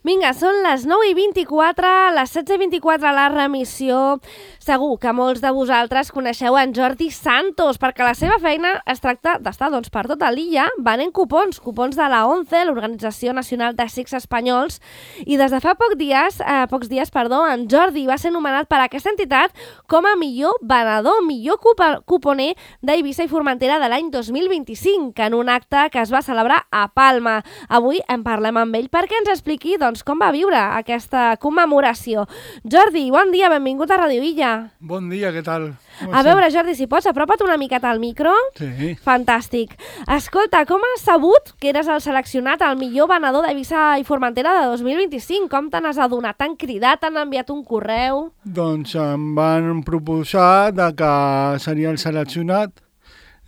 Vinga, són les 9:24, les 16:24 a la remissió. Segur que molts de vosaltres coneixeu en Jordi Santos, perquè la seva feina es tracta d'estar per tota l'illa venent cupons de la ONCE, l'Organització Nacional de Cecs Espanyols, i des de fa pocs dies, en Jordi va ser nomenat per aquesta entitat com a millor venedor, millor cuponer d'Eivissa i Formentera de l'any 2025, en un acte que es va celebrar a Palma. Avui en parlem amb ell perquè ens expliqui com va viure aquesta commemoració. Jordi, bon dia, benvingut a Radio Illa. Bon dia, què tal? A veure, Jordi, si pots, apropa't una miqueta al micro. Sí. Fantàstic. Escolta, com has sabut que eres el seleccionat al millor venedor d'Eivissa i Formentera de 2025? Com te n'has adonat? T'han cridat, t'han enviat un correu? Doncs em van proposar que seria el seleccionat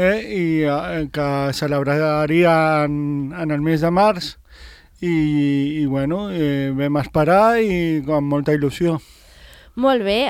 i que celebraria en el mes de març i vam esperar i amb molta il·lusió. Molt bé.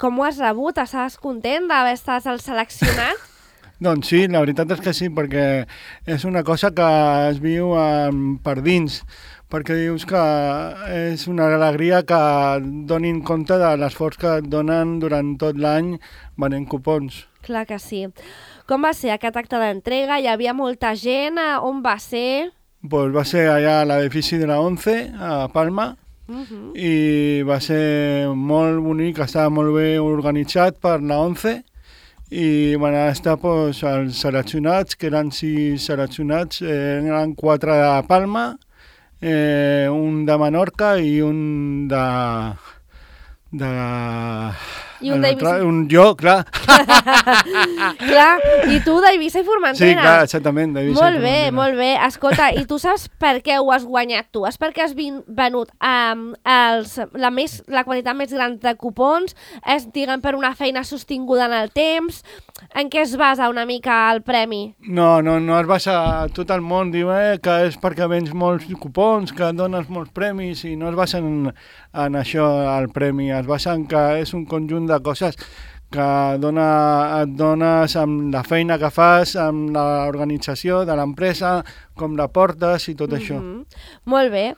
Com ho has rebut? Estàs content d'haver estat el seleccionat? Doncs sí, la veritat és que sí, perquè és una cosa que es viu per dins, perquè dius que és una alegria que donin compte de l'esforç que et donen durant tot l'any venent cupons. Clar que sí. Com va ser aquest acte d'entrega? Hi havia molta gent? On va ser? Pues va ser allà a l'edifici de la ONCE, a Palma, i va ser molt bonic, estava molt bé organitzat per la ONCE, i van estar els seleccionats, que eren 6 seleccionats, eren 4 de Palma, un de Menorca i un de... I un d'Eivissa. Jo, clar. Clar, i tu d'Eivissa i Formentera. Sí, clar, exactament, d'Eivissa i Formentera. Molt bé. Escolta, i tu saps per què ho has guanyat tu? És perquè has venut la quantitat més gran de cupons? És, diguem, per una feina sostinguda en el temps? En què es basa una mica el premi? No es basa... Tot el món diu que és perquè vens molts cupons, que dones molts premis, i no es basa en això el premi, es basa en que és un conjunt de coses que et dones amb la feina que fas, amb l'organització de l'empresa, com la portes i tot això. Molt bé.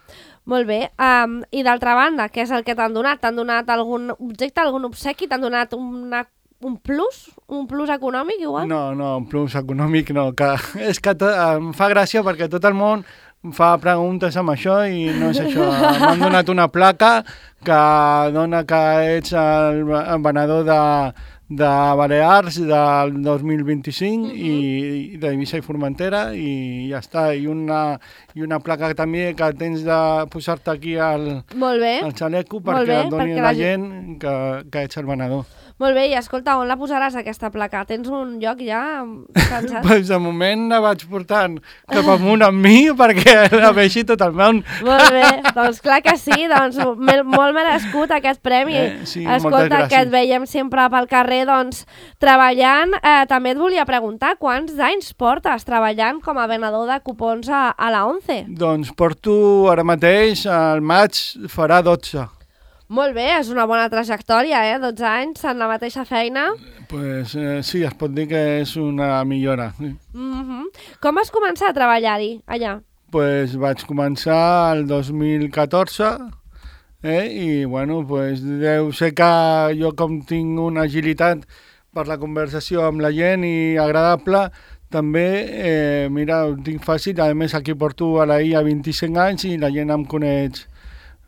I d'altra banda, què és el que t'han donat? T'han donat algun objecte, algun obsequi? T'han donat un plus? Un plus econòmic, igual? No, un plus econòmic no. És que em fa gràcia perquè tot el món fa preguntes amb això i no és això. M'han donat una placa que dona que ets el venedor de Balears del 2025 i d'Eivissa i Formentera i ja està. I una placa també que tens de posar-te aquí al xaleco perquè et doni la gent que ets el venedor. Molt bé, i escolta, on la posaràs aquesta placa? Tens un lloc ja pensat? Pues de moment la vaig portant cap amunt amb mi perquè la vegi tot el món. Molt bé, doncs clar que sí, doncs molt merescut aquest premi. Sí, escolta, que et veiem sempre pel carrer treballant. També et volia preguntar, quants anys portes treballant com a venedor de cupons a la ONCE? Doncs porto ara mateix, al maig farà 12. Molt bé, és una bona trajectòria, 12 anys en la mateixa feina. Pues sí, es pot dir que és una millora. Com vas començar a treballar-hi, allà? Pues vaig començar el 2014 i deu ser que jo com tinc una agilitat per la conversació amb la gent i agradable, també, ho tinc fàcil. A més, aquí porto a la IA 25 anys i la gent em coneix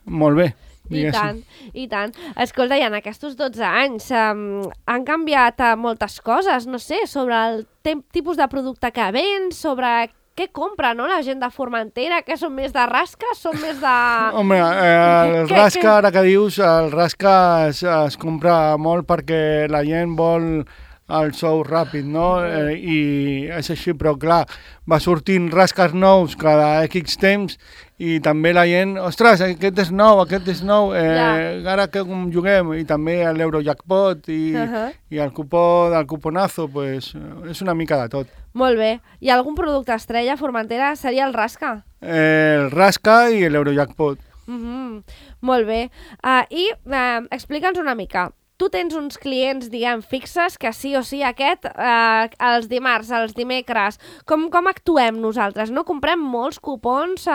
molt bé. I tant. Escolta, i en aquests 12 anys han canviat moltes coses, no sé, sobre el tipus de producte que vens, sobre què compra, no?, la gent de Formentera, que són més de rasca, són més de... Home, el rasca, ara que dius, el rasca es compra molt perquè la gent vol el sou ràpid, no? I és així, però clar, va sortint rasques nous cada X temps i també la gent, ostres, aquest és nou, ara que juguem, i també l'Eurojackpot i el cupó del cuponazo, pues, és una mica de tot. Molt bé. I algun producte estrella a Formentera seria el rasca? El rasca i l'Eurojackpot. Molt bé. I explica'ns una mica, tu tens uns clients, diguem, fixes, que sí o sí aquest, els dimarts, els dimecres, com actuem nosaltres, no? Comprem molts cupons,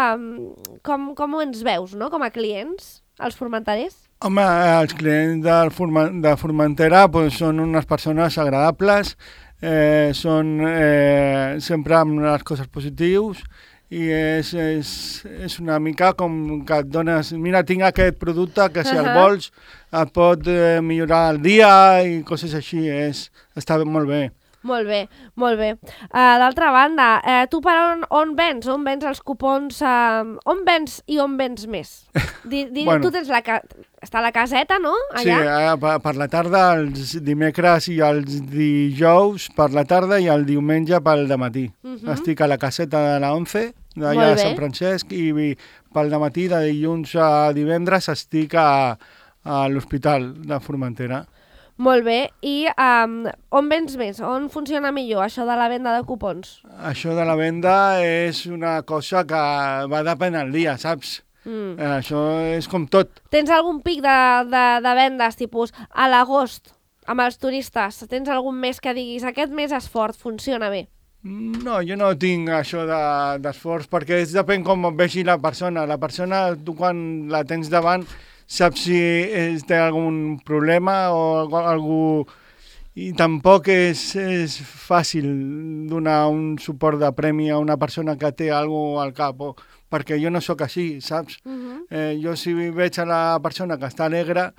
com ens veus, no?, com a clients, els formenterers? Home, els clients de Formentera pues, són unes persones agradables, són sempre amb les coses positives, i és una mica com que et dones, mira, tinc aquest producte que si el vols et pot millorar el dia i coses així, està molt bé. Molt bé, molt bé. D'altra banda, tu per on vens? On vens els cupons? On vens i on vens més? Bueno, tu tens està la caseta, no? Allà? Sí, per la tarda, els dimecres i els dijous per la tarda i el diumenge pel dematí. Estic a la caseta de la 11, d'allà a Sant Francesc, i pel dematí, de dilluns a divendres, estic a l'Hospital de Formentera. Molt bé. I on vens més? On funciona millor això de la venda de cupons? Això de la venda és una cosa que va depèn del dia, saps? Això és com tot. Tens algun pic de vendes, tipus a l'agost, amb els turistes? Tens algun mes que diguis aquest mes és fort, funciona bé? No, jo no tinc això d'esforç, perquè depèn com vegi la persona. La persona, tu quan la tens davant, saps si té algun problema o algú... I tampoc és fàcil donar un suport de premi a una persona que té alguna cosa al cap, perquè jo no sóc així, saps? Jo si veig a la persona que està alegre,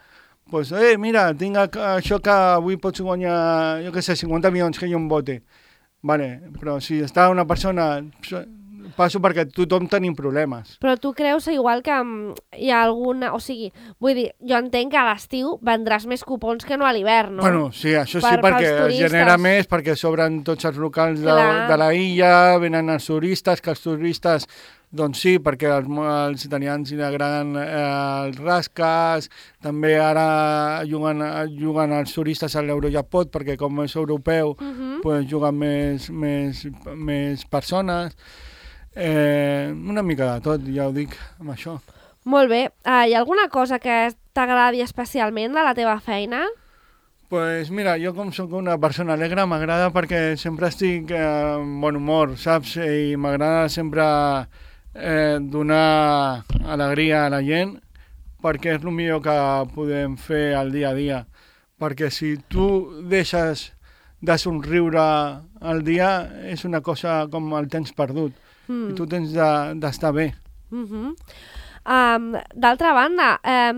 doncs, mira, tinc això que avui pots guanyar, jo què sé, 50 milions que jo em vote. Vale, però si està una persona... Passo perquè tothom tenim problemes. Però tu creus igual que hi ha alguna... O sigui, vull dir, jo entenc que a l'estiu vendràs més cupons que no a l'hivern, no? Bueno, sí, això sí, perquè es genera més, perquè s'obren tots els locals de la illa, venen els turistes, que els turistes, doncs sí, perquè als italians li agraden els rascas, també ara juguen els turistes a l'Eurojackpot, perquè com és europeu, pues juguen més persones. Una mica de tot, ja ho dic, amb això. Molt bé. Hi ha alguna cosa que t'agradi especialment de la teva feina? Pues mira, jo com sóc una persona alegre m'agrada perquè sempre estic en bon humor, saps? I m'agrada sempre donar alegria a la gent perquè és el millor que podem fer al dia a dia. Perquè si tu deixes de somriure al dia és una cosa com el temps perdut. I tu tens d'estar bé. D'altra banda,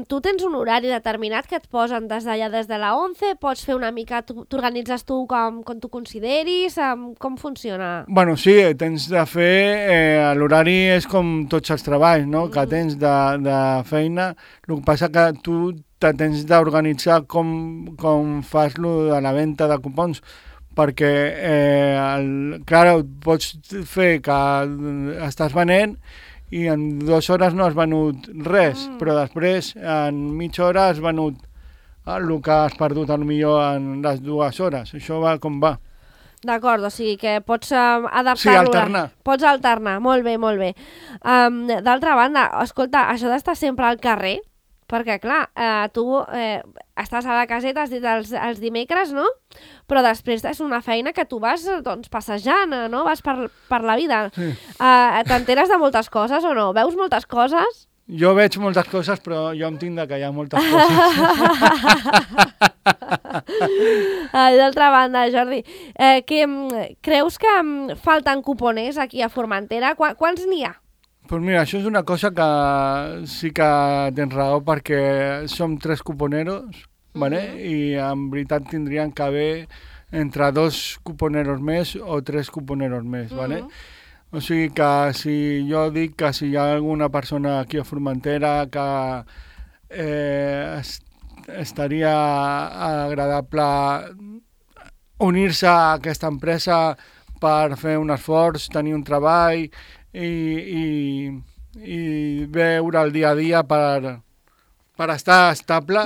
tu tens un horari determinat que et posen des de la 11, pots fer una mica, t'organitzes tu com tu consideris, com funciona? Bueno, sí, tens de fer, l'horari és com tots els treballs, no? Que tens de feina, el que passa que tu te tens d'organitzar com fas lo de la venda de cupons, perquè, clar, pots fer que estàs venent i en 2 hores no has venut res, però després en mitja hora has venut el que has perdut potser en les 2 hores. Això va com va. D'acord, o sigui que pots adaptar-lo. Sí, alternar. Pots alternar, molt bé, molt bé. D'altra banda, escolta, això d'estar sempre al carrer, perquè, clar, tu estàs a la caseta, has dit els dimecres, no? Però després és una feina que tu vas doncs, passejant, no? Vas per la vida. Sí. T'enteres de moltes coses o no? Veus moltes coses? Jo veig moltes coses, però jo em tinc de callar moltes coses. D'altra banda, Jordi, creus que falten cuponers aquí a Formentera? Quants n'hi ha? Doncs mira, això és una cosa que sí que tens raó perquè som 3 cuponeros, ¿vale? I en veritat tindrien que haver entre 2 cuponeros més o 3 cuponeros més, ¿vale? O sigui que si jo dic que si hi ha alguna persona aquí a Formentera que estaria agradable unir-se a aquesta empresa per fer un esforç, tenir un treball i veure el dia a dia per estar estable,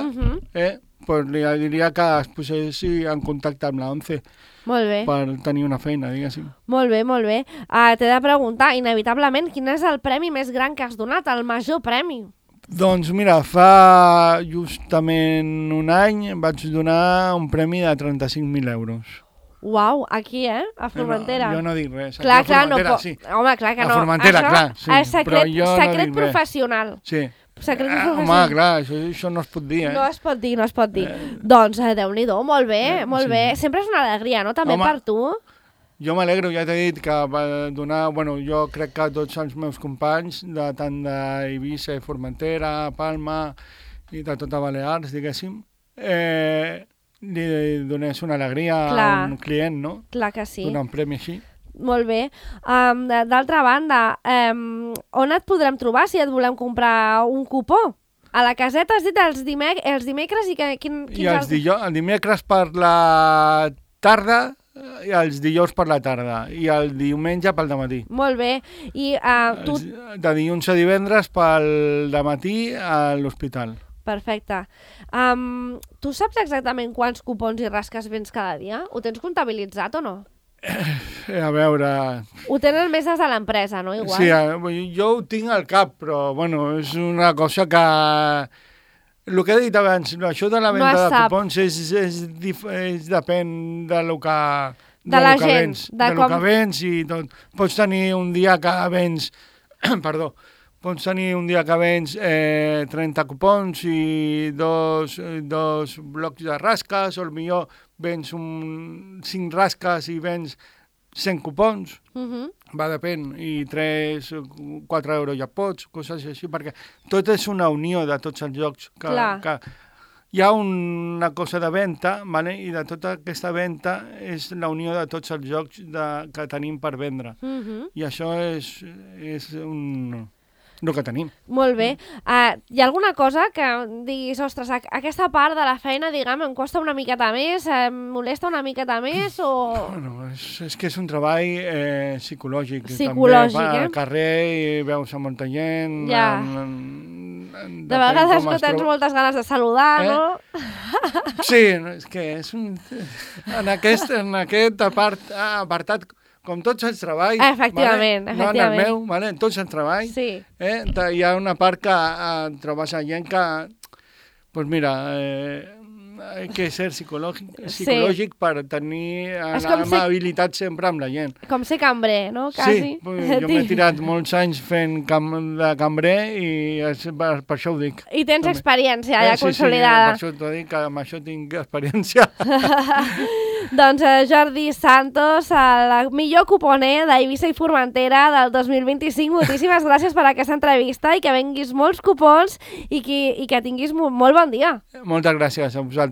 pues li diria que es posessi en contacte amb la 11 per tenir una feina, diguéssim. Molt bé, molt bé. T'he de preguntar, inevitablement, quin és el premi més gran que has donat, el major premi? Doncs mira, fa justament un any vaig donar un premi de 35.000 euros. Uau, aquí, a Formentera. No, jo no dic res. Clar, a no Formentera, pot... sí. Home, clar que no. A Formentera, això clar, sí. És secret, però jo secret no dic professional. Res. Sí. Secret professional. Home, clar, això no es pot dir, No es pot dir, no es pot dir. Doncs, Déu-n'hi-do, molt bé, molt bé. Sempre és una alegria, no? També per tu. Jo m'alegro, ja t'he dit que va donar... Bueno, jo crec que tots els meus companys, tant d'Eivissa i Formentera, Palma i de tota Balears, diguéssim, li donés una alegria a un client, no? Clar que sí. Donar un premi així. Molt bé. D'altra banda, on et podrem trobar si et volem comprar un cupó? A la caseta has dit els dimecres i quins el dimecres per la tarda i els dijous per la tarda i el diumenge pel dematí. Molt bé. I tu... De dilluns a divendres pel dematí a l'hospital. Perfecte. Tu saps exactament quants cupons i rasques vens cada dia? Ho tens comptabilitzat o no? A veure... Ho tenen més des de l'empresa, no? Igual. Sí, jo ho tinc al cap, però bueno, és una cosa que... El que he dit abans, això de la venda de cupons depèn de lo que... De la gent. De lo que vens i tot. Pots tenir un dia que vens... Perdó. Pots tenir un dia que vens 30 cupons i dos blocs de rasques, o potser vens 5 rasques i vens 100 cupons, va, depèn, i 3-4 euros ja pots, coses així, perquè tot és una unió de tots els jocs que hi ha una cosa de venda, vale? I de tota aquesta venda és la unió de tots els jocs que tenim per vendre. I això és el que tenim. Molt bé. Hi ha alguna cosa que diguis, ostres, aquesta part de la feina, diguem, em costa una miqueta més, em molesta una miqueta més, o... Bueno, és que és un treball psicològic. Psicològic, també, al carrer i veus a molta gent... Ja. De vegades no tens moltes ganes de saludar, no? Sí, és que és un... En aquest apartat, com tots els treballs... Efectivament, no en el meu, en tots els treballs, hi ha una part que trobes a gent que, doncs mira, hay que ser psicològic per tenir amabilitat sempre amb la gent. Com ser cambrer, no? Quasi. Sí, jo m'he tirat molts anys fent de cambrer i per això ho dic. I tens experiència ja consolidada. Sí, per això t'ho dic, que amb això tinc experiència. Doncs Jordi Santos, el millor cuponer d'Eivissa i Formentera del 2025. Moltíssimes gràcies per aquesta entrevista i que venguis molts cupons i que tinguis molt bon dia. Moltes gràcies a vosaltres.